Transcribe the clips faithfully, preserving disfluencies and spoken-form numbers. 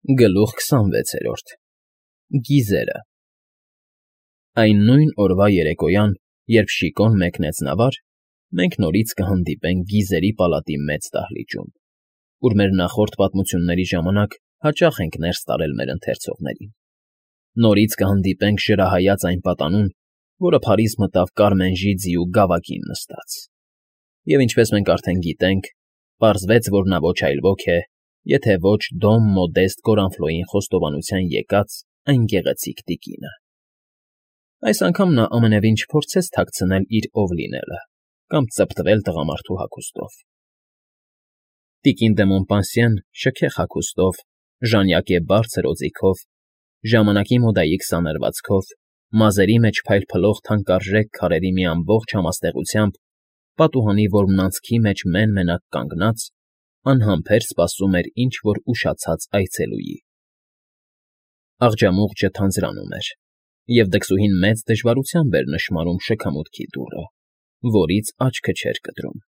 Գլուխ քսանվեցերորդ Գիզերը Այն նույն օրվա երեկոյան, երբ Շիկոն մեկնեց նավար, մենք նորից կհանդիպենք Գիզերի պալատի մեծ դահլիճում, ուր մեր նախորդ պատմությունների ժամանակ հաճախ ենք ներս տարել մեր ընթերցողներին. նորից կհանդիպենք ժրահայաց այն պատանուն, որը Փարիզ մտավ Կարմենժի ձիու գավակին նստած, և ինչպես մենք արդեն գիտենք, պարզվեց, որ նա ոչ այլ ոք է, եթե ոչ Դոմ Մոդեստ Կորանֆլոյին խոստովանության եկած այն գեղեցիկ տիկինը. այս անգամ նա ամենևին չփորձեց թաքցնել իր ով լինելը կամ ծպտվել տղամարդու հագուստով. տիկին դե Մոնպանսիեն շքեղ հագուստով, ժանյակե բարձր օձիքով, ժամանակի մոդայի քսաներվածքով, մազերի մեջ փայլփլող թանկարժեք քարերի մի ամբողջ համաստեղությամբ, պատուհանի որմնանցքի մեջ մեն֊մենակ կանգնած, անհամբեր սպասում էր ինչ֊որ ուշացած այցելուի։ Աղջամուղջը թանձրանում էր, և դքսուհին մեծ դժվարությամբ էր նշմարում շքամուտքի դուռը, որից աչքը չէր կտրում։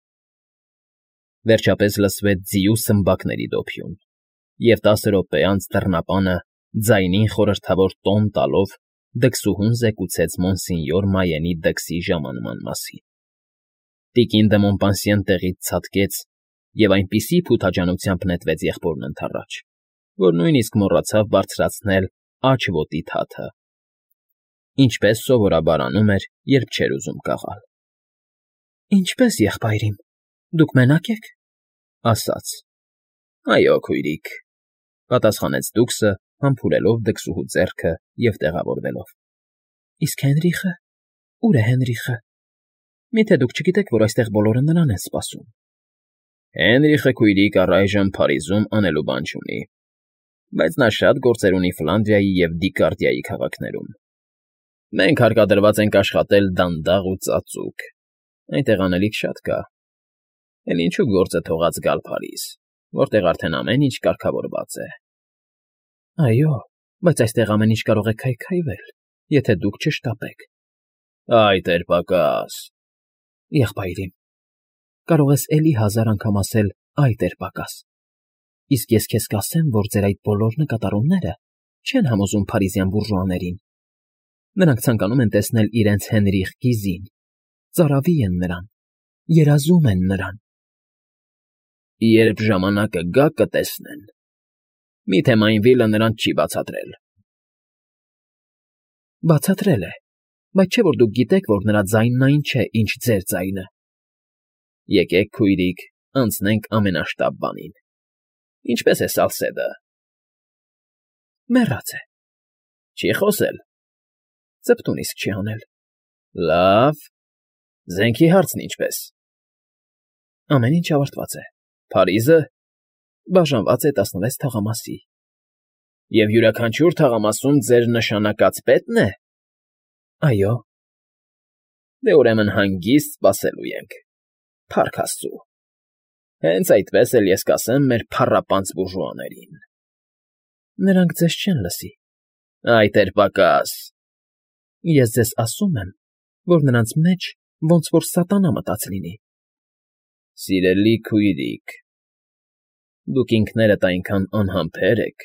Վերջապես լսվեց ձիու սմբակների դոփյուն, և տասը րոպե անց դռնապանը, ձայնին խորհրդավոր տոն տալով, դքսուհուն զեկուցեց մոնսինյոր Մայենի դքսի ժամանման մասին։ Տիկին դե Մոնպանսիեն տեղից ցատկեց և այնպիսի փութաջանությամբ նետվեց եղբորն ընդառաջ, որ նույնիսկ մոռացավ բարձրացնել աջ ոտի թաթը, ինչպես սովորաբար անում էր, երբ չէր ուզում կաղալ։ ֊ Ինչպե՞ս, եղբայր իմ, դուք մենա՞կ եք,֊ ասաց։ ֊ Այո, քույրիկ,֊ պատասխանեց դուքսը, համբուրելով դքսուհու ձեռքը և տեղավորվելով։ ֊ Իսկ Հենրիխը… Ո՞ւր է Հենրիխը… Մի՞թե դուք չգիտեք, որ այստեղ բոլորը նրան են սպասում։ ֊ Հենրիխը, քույրիկ, առայժմ Փարիզում անելու բան չունի, բայց նա շատ գործեր ունի Ֆլանդրիայի և Դիկարդիայի քաղաքներում։ Մենք հարկադրված ենք աշխատել դանդաղ ու ծածուկ, այնտեղ անելիք շատ կա, էլ ինչու գործը թողած գալ Փարիզ, որտեղ արդեն ամեն ինչ կարգավորված է։ ֊ Այո, բայց այստեղ ամեն ինչ կարող է քայքայվել, եթե դուք չշտապեք։ ֊ Այ տեր֊պակաս… ֊ Եղբայր իմ, կարող ես էլի հազար անգամ ասել «այ տեր֊պակաս», իսկ ես քեզ կասեմ, որ ձեր այդ բոլոր նկատառումները չեն համոզում փարիզյան բուրժուաներին. նրանք ցանկանում են տեսնել իրենց Հենրիխ Գիզին, ծարավի են նրան, երազում են նրան։ ֊ Երբ ժամանակը գա, կտեսնեն… Միթե Մայնվիլը նրանց չի բացատրել։ ֊ Բացատրել է, բայց չէ՞ որ դուք գիտեք, որ նրա ձայնն այն չէ, ինչ ձեր ձայնը։ ֊ Եկեք, քույրիկ, անցնենք ամենաշտապ բանին… Ինչպե՞ս է Սալսեդը։ ֊ Մեռած է։ ֊ Չի՞ խոսել։ ֊ Ծպտուն իսկ չի հանել։ ֊ Լավ… Զենքի հարցն ինչպե՞ս։ ֊ Ամեն ինչ ավարտված է։ ֊ Փարիզը… Բաժանված է տասնվեց թաղամասի։ ֊ Եվ յուրաքանչյուր թաղամասում ձեր նշանակած պետն է։ ֊ Այո։ ֊ Դե, ուրեմն հանգիստ սպասելու ենք… Փառք աստծո… Հենց այդպես էլ ես կասեմ մեր փառապանծ բուրժուաներին… ֊ Նրանք ձեզ չեն լսի։ ֊ Այ տեր֊պակաս… Ես ձեզ ասում եմ, որ նրանց մեջ ոնց որ սատանա մտած լինի։ ֊ Սիրելի քույրիկ… Դուք ինքներդ այնքան անհամբեր եք,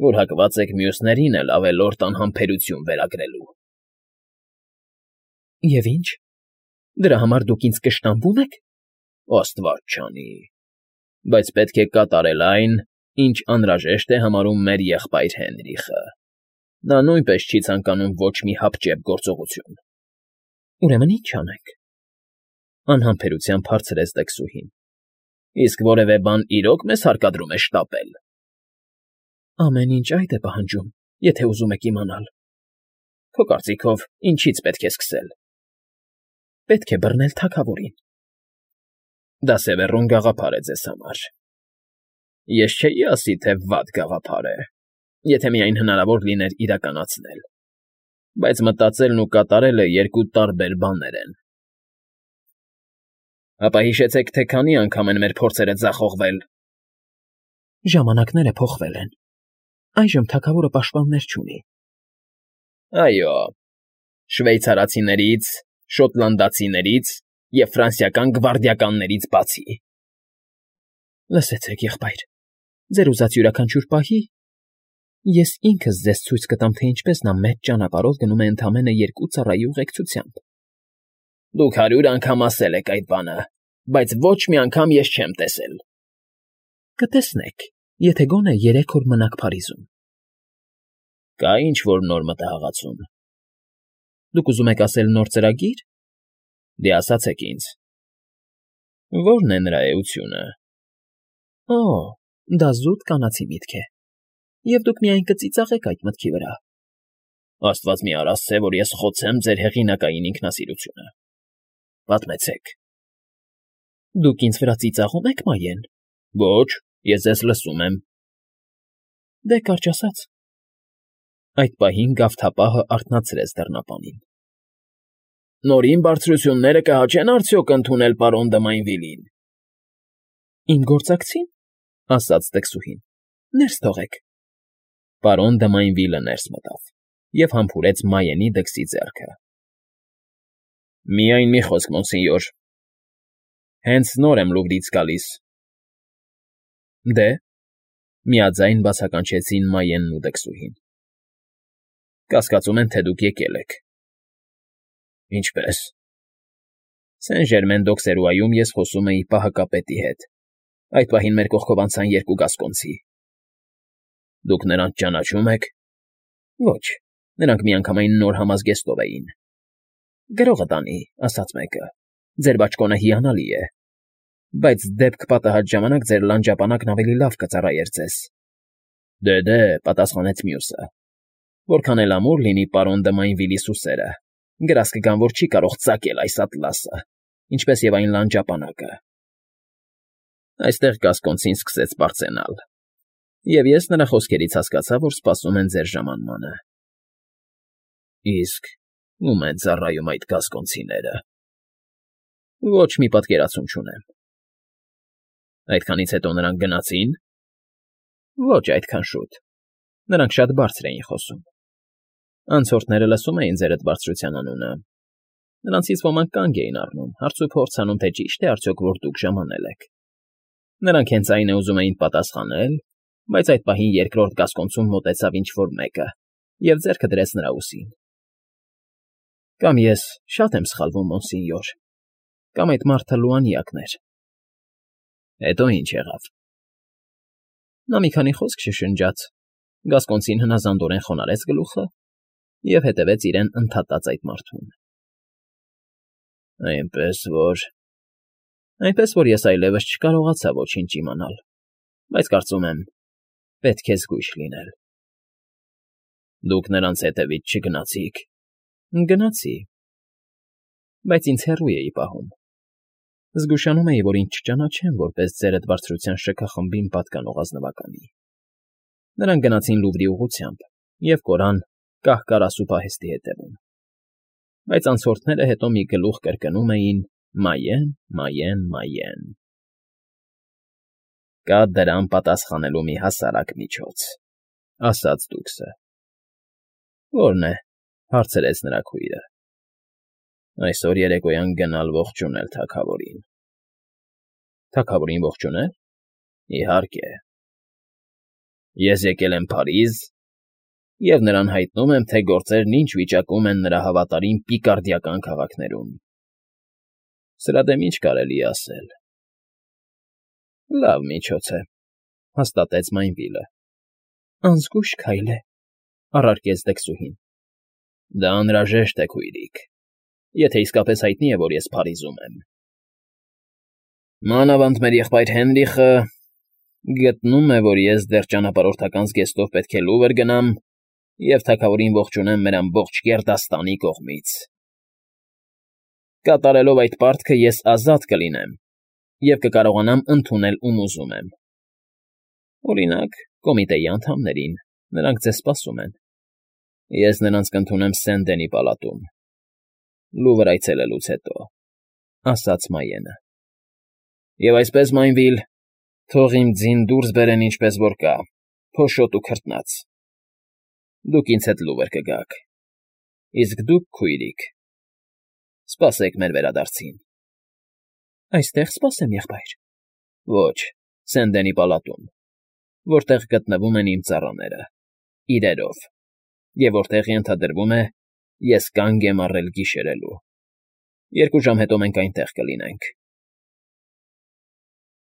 որ հակված եք մյուսներին էլ ավելորդ անհամբերություն վերագրելու։ ֊ Եվ ի՞նչ… Դրա համար դուք ինձ կշտամբո՞ւմ եք։ ֊ Աստված չանի… Բայց պետք է կատարել այն, ինչ անհրաժեշտ է համարում մեր եղբայր Հենրիխը… Նա նույնպես չի ցանկանում ոչ մի հապճեպ գործողություն։ ֊ Ուրեմն ի՞նչ անենք,֊ անհամբերությամբ հարցրեց դքսուհին։ ֊ Իսկ որևէ բան իրո՞ք մեզ հարկադրում է շտապել։ ֊ Ամեն ինչ այդ է պահանջում, եթե ուզում եք իմանալ։ ֊ Քո կարծիքով ինչի՞ց պետք է սկսել։ ֊ Պետք է բռնել թագավորին։ ֊ Դա Սևեռուն գաղափար է ձեզ համար… Ես չէի ասի, թե վատ գաղափար է, եթե միայն հնարավոր լիներ իրականացնել, բայց մտածելն ու կատարելը երկու տարբեր բաներ են։ ֊ Հապա հիշեցեք, թե քանի՞ անգամ են մեր փորձերը ձախողվել։ ֊ Ժամանակները փոխվել են… Այժմ թագավորը պաշտպաններ չունի։ ֊ Այո, շվեյցարացիներից, շոտլանդացիներից և ֆրանսիական գվարդիականներից բացի։ ֊ Լսեցեք, եղբայր, ձեր ուզած յուրաքանչյուր պահի, Ես ինքս ձեզ ցույց կտամ, թե ինչպես նա մեծ ճանապարհով գնում է ընդամենը երկու ծառայի ուղեկցությամբ։ Դուք հարյուր անգամ ասել եք այդ բանը, բայց ոչ մի անգամ ես չեմ տեսել։ Կտեսնեք, եթե գոնե երեք օր մնաք Փարիզում։ Կա ինչ-որ նոր մտահղացում։ Դուք ուզում եք ասել նոր ծրագի՞ր։ Դե ասացեք ինձ։ Ո՞րն է նրա էությունը։ Օ, դա զուտ կանացի միտք է։ Եվ դուք միայն կծիծաղեք այդ մտքի վրա։ Աստված մի արասցե, որ ես խոցեմ ձեր հեղինակային ինքնասիրությունը։ Պատմեցեք։ Դուք ինձ վրա ծիծաղում եք, Մայեն։ Ոչ, ես ձեզ լսում եմ։ Դե կարճ ասած։ Այդ պահին գավթապահը արթնացրեց դռնապանին։ Նորին բարձրությունները կհաճեն արդյոք ընդունել պարոն Դմայնվիլին։ Իմ գործակցին, ասաց տքսուհին, ներս թողեք։ Պարոն Դմայնվիլը ներս մտավ և համբուրեց Մայենի դքսի ձեռքը։ Միայն մի խոսք, մոնսենյոր։ Հենց նոր եմ Լուվրից գալիս։ Դե, միաձայն բացականչեցին Մայենն ու դքսուհին։ Կասկածում են, թե դուք եկել եք։ Ինչպե՞ս։ Սեն֊Ժերմեն֊դ'Օքսերուայում ես խոսում էի պահակապետի հետ։ Այդ պահին մեր կողքով անցան երկու գասկոնցի։ Դուք նրանց ճանաչում եք։ Ոչ, նրանք միանգամայն նոր համազգեստով էին։ Գրողը տանի, ասաց մեկը, ձեր բաճկոնը հիանալի է, բայց դեպք պատահած ժամանակ ձեր լանջապանակն ավելի լավ կծառայեր ձեզ։ Դե-դե, պատասխանեց մյուսը, որքան էլ ամուր լինի պարոն Դմայնվիլի սուսերը, գրազ կգան, որ չի կարող ծակել այս ատլասը, ինչպես և այն լանջապանակը։ Այստեղ գասկոնցին սկսեց բարձենալ, և ես նրա խոսքերից հասկացա, որ սպասում են ձեր ժամանմանը։ Իսկ ո՞ւմ են ծառայում այդ գասկոնցիները։ Ոչ մի պատկերացում չունեմ։ Այդքանից հետո նրանք գնացի՞ն։ Ոչ այդքան շուտ։ Նրանք շատ բարձր էին խոսում։ Անցորդները լսում էին ձեր այդ բարձրության անունը։ Նրանցից ոմանք կանգ էին առնում, հարցուփորձ անում, թե ճիշտ է արդյոք, որ դուք ժամանել եք։ Նրանք հենց այն է ուզում էին պատասխանել, բայց այդ պահին երկրորդ գասկոնցում մոտեցավ ինչ֊որ մեկը և ձեռքը դրեց նրա ուսին։ Կամ ես շատ եմ սխալվում, մոնսենյոր, կամ այդ մարդը լուանյակն էր։ Հետո ինչ եղավ։ Նա մի քանի խոսք շշնջաց, գասկոնցին հնազանդորեն խոնարհեց գլուխը և հետևեց իրեն ընդհատած այդ մարդուն։ Այնպես որ… Այնպես որ ես այլևս չկարողացա ոչինչ իմանալ, բայց կարծում եմ, պետք է զգույշ լինել։ Դուք նրանց հետևից չգնացի՞ք։ Գնացի, բայց ինձ հեռու էի պահում։ Զգուշանում էի, որ ինձ չճանաչեն որպես ձեր այդ բարձրության շքախմբին պատկանող ազնվականի։ Նրանք գնացին Լուվրի ուղղությամբ և կորան կահ֊կարասու պահեստի հետևում։ Բայց անցորդները հետո մի գլուխ կրկնում էին Մայեն, Մայեն, Մայեն։ Կա դրան պատասխանելու մի հասարակ միջոց, ասաց դուքսը։ Ո՞րն է, հարցրեց նրա քույրը։ Այսօր երեկոյան գնալ ողջունել թագավորին։ Թագավորին ողջունել։ Իհարկե։ Ես եկել եմ Փարիզ և նրան հայտնում եմ, թե գործերն ինչ վիճակում են նրա հավատարիմ պիկարդիական քաղաքներում։ Սրա դեմ ինչ կարելի է ասել։ Լավ միջոց է, հաստատեց Մայնվիլը։ Անզգույշ քայլ է, առարկեց դքսուհին։ Դա անհրաժեշտ է, քույրիկ, եթե իսկապես հայտնի է, որ ես Փարիզում եմ։ Մանավանդ մեր եղբայր Հենրիխը գտնում է, որ ես դեռ ճանապարհորդական զգեստով պետք է Լուվր գնամ և թագավորին ողջունեմ մեր ամբողջ գերդաստանի կողմից։ Կատարելով այդ պարտքը ես ազատ կլինեմ և կկարողանամ ընդունել ում ուզում եմ։ Օրինակ, կոմիտեի անդամներին, նրանք ձեզ սպասում են։ Ես նրանց կընդունեմ Սեն֊Դենի պալատում, Լուվր այցելելուց հետո, ասաց Մայենը։ Եվ այսպես, Մայնվիլ, թող իմ ձին դուրս բերեն ինչպես որ կա, փոշոտ ու քրտնած։ Դուք ինձ հետ Լուվր կգաք։ Իսկ դուք, քույրիկ, սպասեք մեր վերադարձին։ Այստե՞ղ սպասեմ, եղբայր։ Ոչ, Սեն֊Դենի պալատում, որտեղ գտնվում են իմ ծառաները։ իրերով, և որտեղ ենթադրվում է, ես կանգ եմ առել գիշերելու։ Երկու ժամ հետո մենք այնտեղ կլինենք։